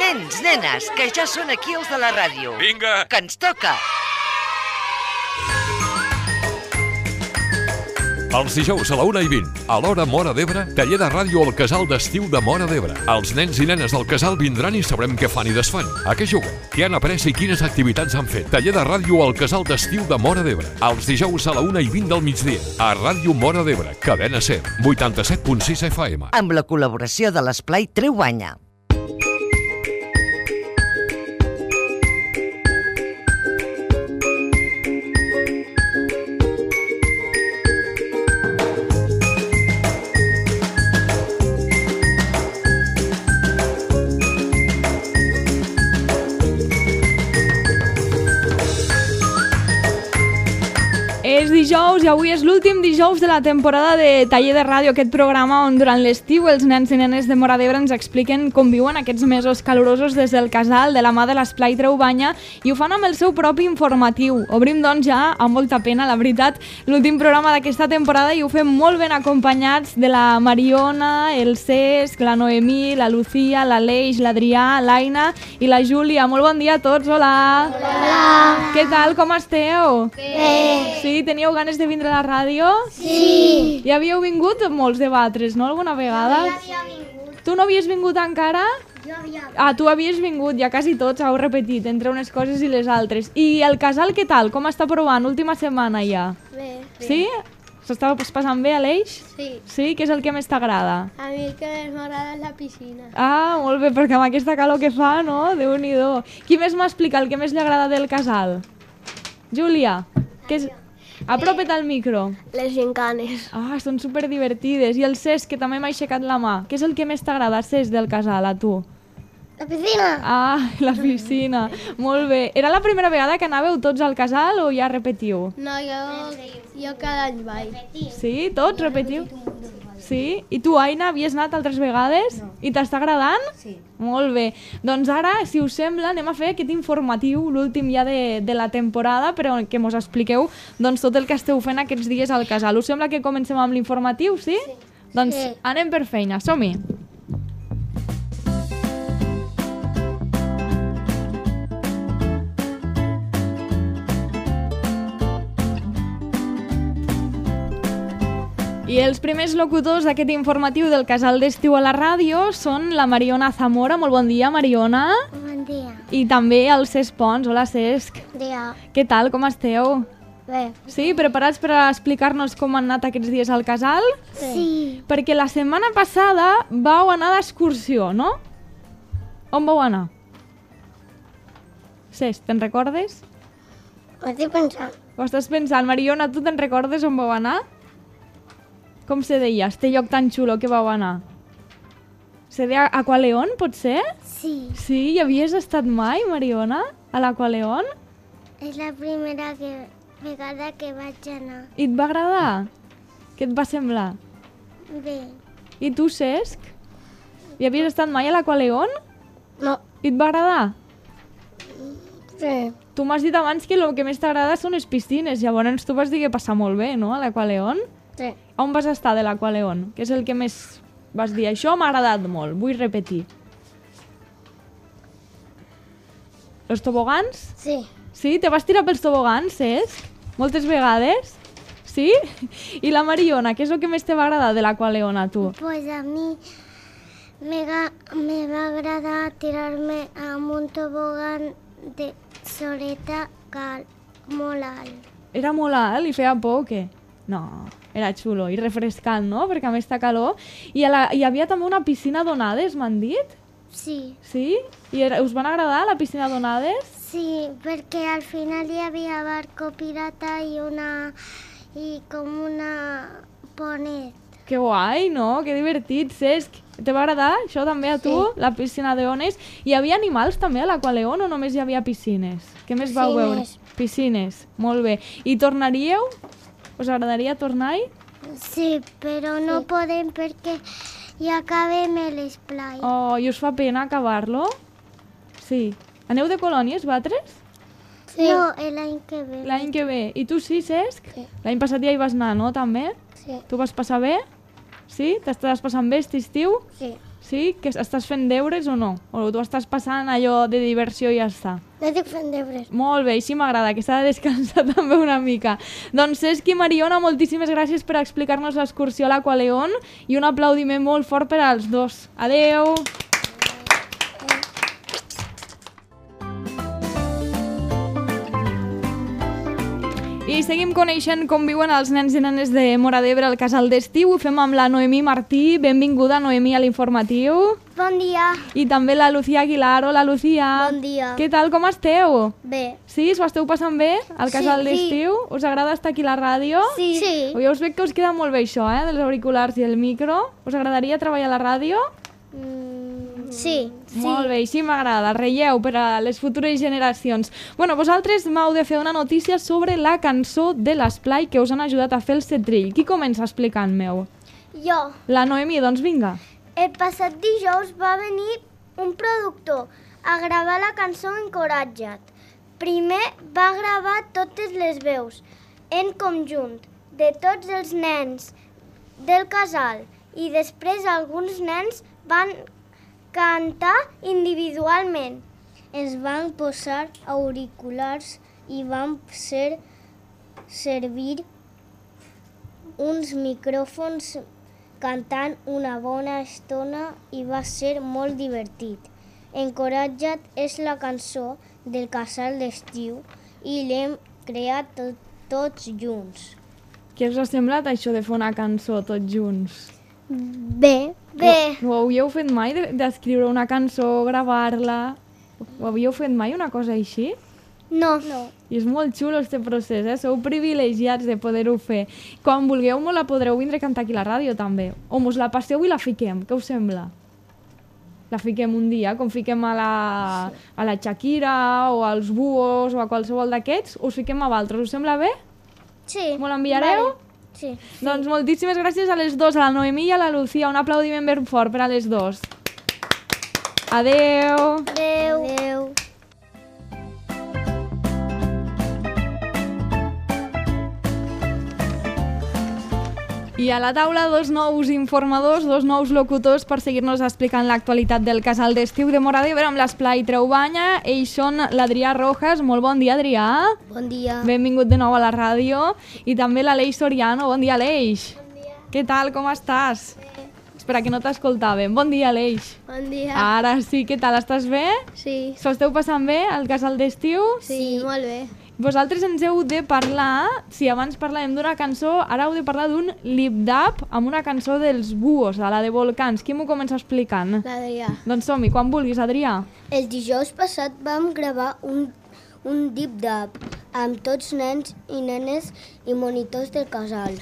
Nens, nenes, que ja són aquí els de la ràdio. Vinga! Que ens toca! Els dijous a la 1:20, a l'hora Móra d'Ebre, taller de ràdio al casal d'estiu de Móra d'Ebre. Els nens i nenes del casal vindran i sabrem què fan i desfan. A què juguen, què han après i quines activitats han fet. Taller de ràdio al casal d'estiu de Móra d'Ebre. Els dijous a la 1:20 del migdia, a Ràdio Móra d'Ebre, cadena 100, 87.6 FM. Amb la col·laboració de l'Esplai Treu Banya. És dijous i avui és l'últim dijous de la temporada de Taller de Ràdio, aquest programa on durant l'estiu els nens i nenes de Móra d'Ebre ens expliquen com viuen aquests mesos calorosos des del casal de la mà de l'Esplai Treu Banya i ho fan amb el seu propi informatiu. Obrim doncs ja, amb molta pena, la veritat, l'últim programa d'aquesta temporada i ho fem molt ben acompanyats de la Mariona, el Cesc, la Noemí, la Lucía, l'Aleix, l'Adrià, l'Aina i la Júlia. Molt bon dia a tots, hola! Hola! Què tal, com esteu? Bé! Sí, teníeu ganes de vindre a la ràdio? Sí! Ja havíeu vingut molts de vosaltres, no? Alguna vegada? Jo havia vingut. Tu no havies vingut encara? Jo havia vingut. Ah, tu havies vingut, ja quasi tots heu repetit entre unes coses i les altres. I el casal què tal? Com està provant? Última setmana ja. Bé. Sí? S'està passant bé, Aleix? Sí. Sí? Què és el que més t'agrada? A mi el que més m'agrada és la piscina. Ah, molt bé, perquè amb aquesta calor que fa, no? Déu-n'hi-do. Qui més m'explica el que més li agrada del casal? Júlia, què és... Apropa't al micro. Les gincanes. Ah, són superdivertides. I el Cesc, que també m'ha aixecat la mà. Què és el que més t'agrada, Cesc, del casal, a tu? La piscina. Ah, la piscina. Molt bé. Era la primera vegada que anàveu tots al casal o ja repetiu? No, jo cada any vaig. Sí? Tots repetiu? Sí? I tu, Aina, havies anat altres vegades? No. I t'està agradant? Sí. Molt bé. Doncs ara, si us sembla, anem a fer aquest informatiu, l'últim ja de la temporada, però que mos expliqueu doncs, tot el que esteu fent aquests dies al casal. Us sembla que comencem amb l'informatiu, sí? Sí. Doncs sí. Anem per feina, som-hi. I els primers locutors d'aquest informatiu del casal d'estiu a la ràdio són la Mariona Zamora. Molt bon dia, Mariona. Bon dia. I també el Cesc Pons. Hola, Cesc. Bon dia. Què tal, com esteu? Bé. Sí, preparats per explicar-nos com han anat aquests dies al casal? Sí. Perquè la setmana passada vau anar d'excursió, no? On vau anar? Cesc, te'n recordes? Ho estic pensant. Ho estàs pensant. Mariona, tu te'n recordes on vau anar? Com se deia, este lloc tan xulo que vau anar? Se deia Aqualeón, pot ser? Sí. Sí? Hi havies estat mai, Mariona, a l'Aqualeón? És la primera vegada que vaig anar. I et va agradar? Què et va semblar? Bé. I tu, Cesc? Hi havies estat mai a l'Aqualeón? No. I et va agradar? Sí. Tu m'has dit abans que el que més t'agrada són les piscines, llavors tu vas dir que passa molt bé, no, a l'Aqualeón? Sí. On vas estar de l'Aqualeón? Què és el que més vas dir? Això m'ha agradat molt, vull repetir. Els tobogans? Sí. Sí? Te vas tirar pels tobogans, Cesc? Moltes vegades? Sí? I la Mariona, què és el que més te va agradar de l'Aqualeón a tu? Pues a mi me va agradar tirar-me amb un tobogan de soleta molt alt. Era molt alt i feia por o què? No, era xulo i refrescant, no? Perquè a més està calor. I hi havia també una piscina d'onades, m'han dit? Sí. Sí? I us van agradar la piscina d'onades? Sí, perquè al final hi havia barco pirata i com una ponet. Que guai, no? Que divertit, Cesc. Te va agradar això també a tu, sí. La piscina d'ones? Hi havia animals també a l'Aqualeón o només hi havia piscines? Què més vau veure? Piscines, molt bé. I tornaríeu? Us agradaria tornar-hi? Sí, però no podem perquè ja acabem l'esplai. Oh, i us fa pena acabar-lo? Sí. Aneu de colònies, vosaltres? Sí. No, l'any que ve. L'any que ve. I tu sí, Cesc? Sí. L'any passat ja hi vas anar, no, també? Sí. Tu vas passar bé? Sí? T'estàs passant bé aquest estiu? Sí. Sí? Que estàs fent deures o no? O tu estàs passant allò de diversió i ja està? No estic fent deures. Molt bé, així m'agrada, que s'ha de descansar també una mica. Doncs Cesc i Mariona, moltíssimes gràcies per explicar-nos l'excursió a l'Aqualeón i un aplaudiment molt fort per als dos. Adeu! I seguim coneixent com viuen els nens i nenes de Móra d'Ebre al casal d'estiu. Ho fem amb la Noemí Martí. Benvinguda, Noemí, a l'informatiu. Bon dia. I també la Lucía Aguilar. Hola, Lucía. Bon dia. Què tal, com esteu? Bé. Sí, s'ho esteu passant bé al casal d'estiu? Us agrada estar aquí a la ràdio? Sí. Ja us veig que us queda molt bé això, dels auriculars i el micro. Us agradaria treballar a la ràdio? Sí. Molt bé, així m'agrada, relleu per a les futures generacions. Bueno, vosaltres m'heu de fer una notícia sobre la cançó de l'Esplai que us han ajudat a fer el setrill. Qui comença explicant-me-ho? Jo. La Noemí, doncs vinga. El passat dijous va venir un productor a gravar la cançó Encoratja't. Primer va gravar totes les veus en conjunt de tots els nens del casal i després alguns nens van cantar individualment. Ens van posar auriculars i van servir uns micròfons cantant una bona estona i va ser molt divertit. Encoratja't és la cançó del casal d'estiu i l'hem creat tots junts. Què us ha semblat això de fer una cançó tots junts? Bé. Ho havíeu fet mai, d'escriure una cançó, gravar-la? Ho havíeu fet mai, una cosa així? No. I és molt xulo aquest procés, Sou privilegiats de poder-ho fer. Quan vulgueu, la podreu vindre a cantar aquí a la ràdio, també. O mos la passeu i la fiquem, què us sembla? La fiquem un dia, com fiquem a la Shakira o als Buos o a qualsevol d'aquests, us fiquem a vosaltres. Us sembla bé? Sí. Me l'enviareu? Vale. Sí. Doncs moltíssimes gràcies a les dues, a la Noemí i a la Lucía. Un aplaudiment ben fort per a les dues. Adeu! Adeu. I a la taula dos nous informadors, dos nous locutors per seguir-nos explicant l'actualitat del casal d'estiu de Móra d'Ebre amb l'Esplai Treubanya. Ells són l'Adrià Rojas. Molt bon dia, Adrià. Bon dia. Benvingut de nou a la ràdio. I també l'Aleix Soriano. Bon dia, Aleix. Bon dia. Què tal, com estàs? Bé. Espera, que no t'escoltàvem. Bon dia, Aleix. Bon dia. Ara sí, què tal? Estàs bé? Sí. S'ho esteu passant bé al casal d'estiu? Sí, molt bé. Vosaltres ens heu de parlar, si abans parlàvem d'una cançó, ara heu de parlar d'un lip-dub amb una cançó dels Buos, a la de Volcans. Qui m'ho comença explicant? L'Adrià. Doncs som-hi, quan vulguis, Adrià. El dijous passat vam gravar un lip-dub amb tots nens i nenes i monitors del casal.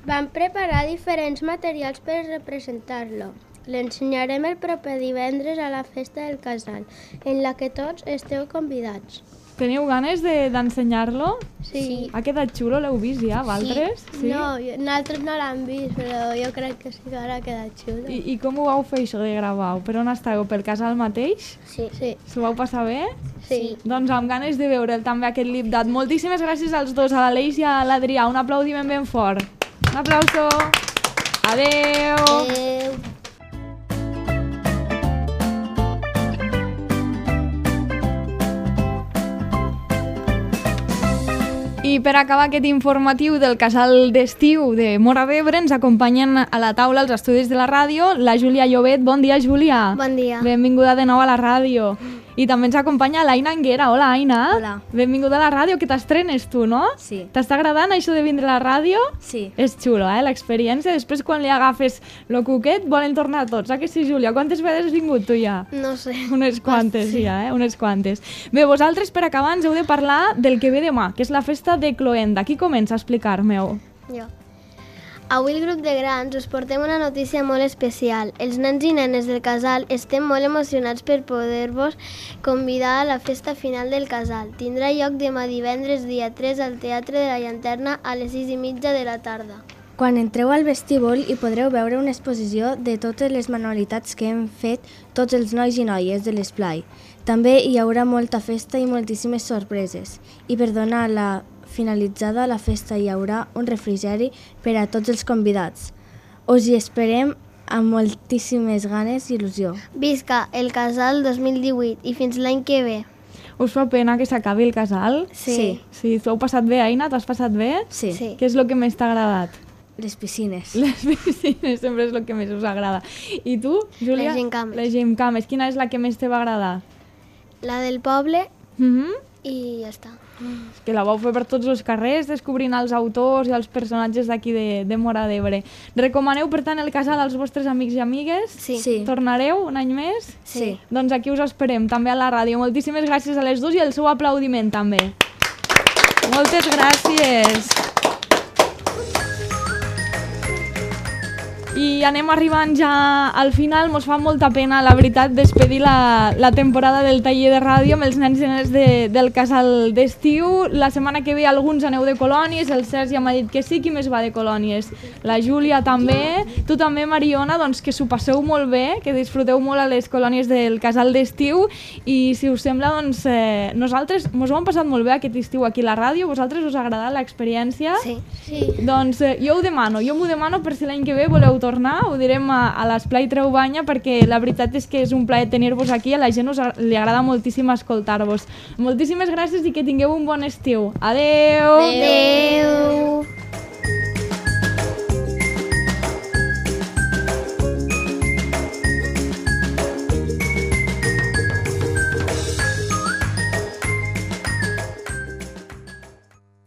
Vam preparar diferents materials per representar-lo. L'ensenyarem el proper divendres a la festa del casal, en la que tots esteu convidats. Teniu ganes d'ensenyar-lo? Sí. Ha quedat xulo, l'heu vist ja, vosaltres? Sí. No, nosaltres no l'hem vist, però jo crec que sí que ara ha quedat xulo. I com ho vau fer això de gravar-ho? Per on estàveu? Pel casal mateix? Sí. S'ho vau passar bé? Sí. Doncs amb ganes de veure'l també aquest lip-dub. Moltíssimes gràcies als dos, a l'Aleix i a l'Adrià. Un aplaudiment ben fort. Un aplauso. Adeu. Adeu. I per acabar aquest informatiu del casal d'estiu de Móra d'Ebre ens acompanyen a la taula els estudis de la ràdio la Júlia Llobet. Bon dia, Júlia. Bon dia. Benvinguda de nou a la ràdio. I també ens acompanya l'Aina Anguera. Hola, Aina. Hola. Benvinguda a la ràdio, que t'estrenes tu, no? Sí. T'està agradant això de vindre a la ràdio? Sí. És xulo, l'experiència. Després, quan li agafes lo cuquet, volen tornar tots. Que sí, Júlia? Quantes vegades has vingut tu ja? No sé. Unes quantes, sí. Ja, unes quantes. Bé, vosaltres, per acabar, ens heu de parlar del que ve demà, que és la festa de Cloenda. Qui comença a explicar-me-ho? Jo. Avui el grup de grans us portem una notícia molt especial. Els nens i nenes del casal estem molt emocionats per poder-vos convidar a la festa final del casal. Tindrà lloc demà divendres dia 3 al Teatre de la Llanterna a les 6:30 de la tarda. Quan entreu al vestíbul hi podreu veure una exposició de totes les manualitats que hem fet tots els nois i noies de l'Esplai. També hi haurà molta festa i moltíssimes sorpreses. I per donar la finalitzada la festa hi haurà un refrigeri per a tots els convidats. Us hi esperem amb moltíssimes ganes i il·lusió. Visca el casal 2018 i fins l'any que ve. Us fa pena que s'acabi el casal? Sí. Sí, t'ho heu passat bé, Aina? T'ho has passat bé? Sí. Què és el que més t'ha agradat? Les piscines. Les piscines sempre és el que més us agrada. I tu, Júlia? Les gincames. Les gincames. Quina és la que més te va agradar? La del poble i ja està. És que la vau fer per tots els carrers, descobrint els autors i els personatges d'aquí de Móra d'Ebre. Recomaneu, per tant, el casal als vostres amics i amigues? Sí. Tornareu un any més? Sí. Doncs aquí us esperem, també a la ràdio. Moltíssimes gràcies a les dues i el seu aplaudiment, també. Moltes gràcies. I anem arribant ja al final. Mos fa molta pena, la veritat, despedir la temporada del taller de ràdio amb els nens i nenes del casal d'estiu. La setmana que ve alguns aneu de colònies, el Cesc ja m'ha dit que sí. Qui més va de colònies? La Júlia també. Tu també, Mariona, doncs que s'ho passeu molt bé, que disfruteu molt a les colònies del casal d'estiu i si us sembla, doncs nosaltres mos ho hem passat molt bé aquest estiu aquí a la ràdio. Vosaltres us ha agradat l'experiència? Sí. Doncs jo m'ho demano per si l'any que ve voleu tornar, ho direm a l'Esplai Treu Banya perquè la veritat és que és un plaer tenir-vos aquí, a la gent li agrada moltíssim escoltar-vos. Moltíssimes gràcies i que tingueu un bon estiu. Adeu! Adeu!